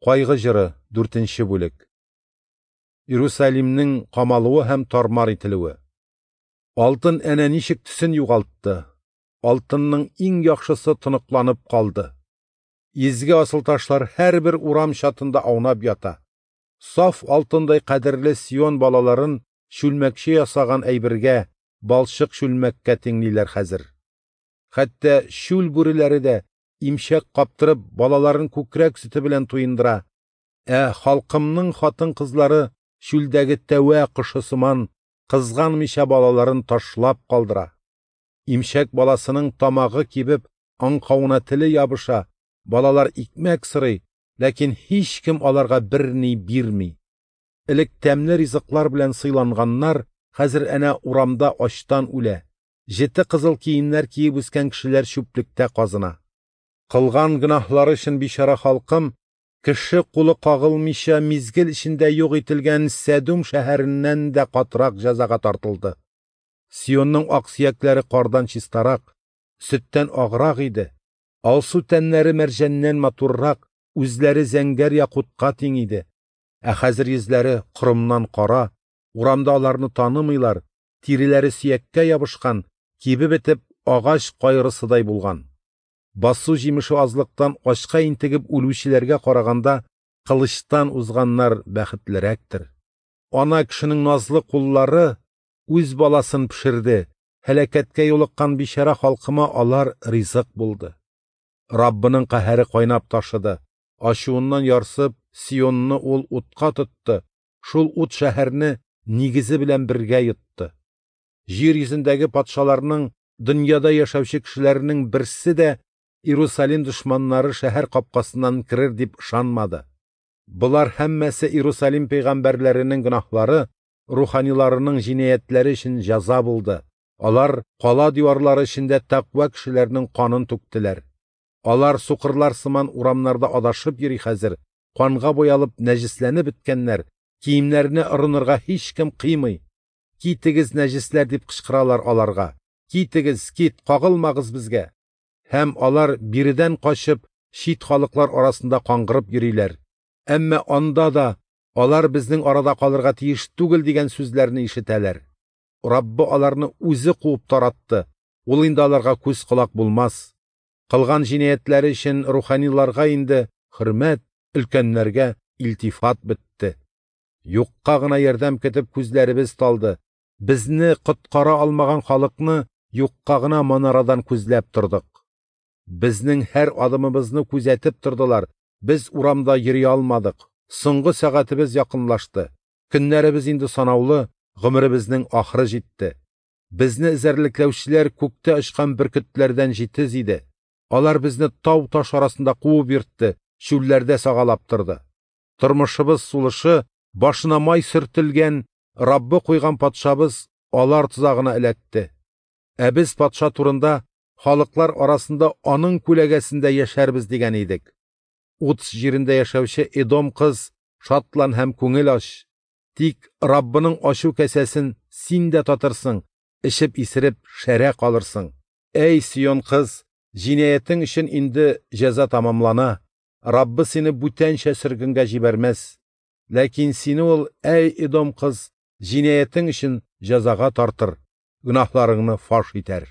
Кайгы җыры, 4 бүлек. Иерусалимнең камалуы һәм тармар ителүе. Алтын әнә ничек төсен югалтты. Алтынның иң яхшысы тоныкланып калды. Изге асылташлар һәрбер урам чатында аунап ята. Саф алтындай кадерле Сион балаларын чүлмәкче ясаган әйбергә, балчык чүлмәккә тиңлиләр хәзер. Хәтта чүл бүреләре дә имчәк каптырып балаларын күкрәк сөте белән туендыра. Ә халкымның хатын-кызлары чүлдәге тәвә кошы сыман кызганмыйча балаларын ташлап калдыра. Имчәк баласының тамагы кибеп, аңкауына теле ябыша, балалар икмәк сорый, ләкин һичкем аларга берни бирми. Элек тәмле ризыклар белән сыйланганнар хәзер әнә урамда ачтан үлә. Җете кызыл киемнәр киеп үскән кешеләр чүплектә казына. Кылган гөнаһлары өчен бичара халкым кеше кулы кагылмыйча мизгел эчендә юк ителгән Сәдүм шәһәреннән дә катырак җәзага тартылды. Сионның аксөякләре кардан чистарак, сөттән аграк иде. Алсу тәннәре мәрҗәннән матуррак, үзләре зәңгәр якутка тиң иде. Ә хәзер йөзләре корымнан кара, урамда аларны танымыйлар, тиреләре сөяккә ябышкан, кибеп бетеп агач кайрысыдай булган. Басу җимеше азлыктан ачка интегеп үлүчеләргә караганда кылычтан узганнар бәхетлерәктер. Ана кешенең назлы куллары үз баласын пешерде, һәлакәткә юлыккан бичара халкыма алар ризык булды. Раббының каһәре кайнап ташыды, ачуыннан ярсып Сионны ул утка тотты, шул ут шәһәрне нигезе белән бергә йотты. Җир йөзендәге патшаларның, дөньяда яшәүче кешеләрнең берсе дә Иерусалим дошманнары шәһәр капкасыннан керер дип ышанмады. Болар һәммәсе Иерусалим пәйгамбәрләренең гөнаһлары, руханиларының җинаятьләре өчен җәза булды. Алар кала диварлары эчендә тәкъва кешеләрнең канын түктеләр. Алар сукырлар сыман урамнарда адашып йөри хәзер, канга буялып нәҗесләнеп беткәннәр, киемнәренә орынырга һичкем кыймый. Китегез, нәҗесләр, дип кычкыралар аларга. Китегез, кит, кагылмагыз безгә. Һәм алар биредән качып, чит халыклар арасында каңгырып йөриләр. Әмма анда да алар безнең арада калырга тиеш түгел дигән сүзләрне ишетәләр. Раббы аларны үзе куып таратты. Ул инде аларга күз колак булмас. Кылган җинаятьләре өчен руханиларга инде хөрмәт, өлкәннәргә илтифат бетте. Юкка гына ярдәм көтеп күзләребез талды. Безне коткара алмаган халыкны юкка гына манарадан күзләп тордык. Безнең һәр адымыбызны күзәтеп тордылар. Без урамда йөри алмадык. Соңгы сәгатебез якынлашты. Көннәребез инде санаулы, гомеребезнең ахыры җитте. Безне эзәрлекләүчеләр күктә очкан бөркетләрдән җитез иде. Алар безне тау-таш арасында куып йөртте, чүлләрдә сагалап торды. Тормышыбыз сулышы, башына май сөртелгән, Раббы куйган патшабыз алар тозагына эләкте. Ә без патша турында халыклар арасында аның күләгәсендә яшәрбез дигән идек. Уц җирендә яшәүче Эдом кыз, шатлан һәм күңел ач. Тик Раббының ачу кәсәсен син дә татырсың, эчеп исереп шәрә калырсың. Әй, Сион кыз, җинаятең өчен инде җәза тамамлана. Раббы сине бүтәнчә сөргенгә җибәрмәс. Ләкин сине ул, әй, Эдом кыз, җинаятең өчен җәзага тартыр, гөнаһларыңны фаш итәр.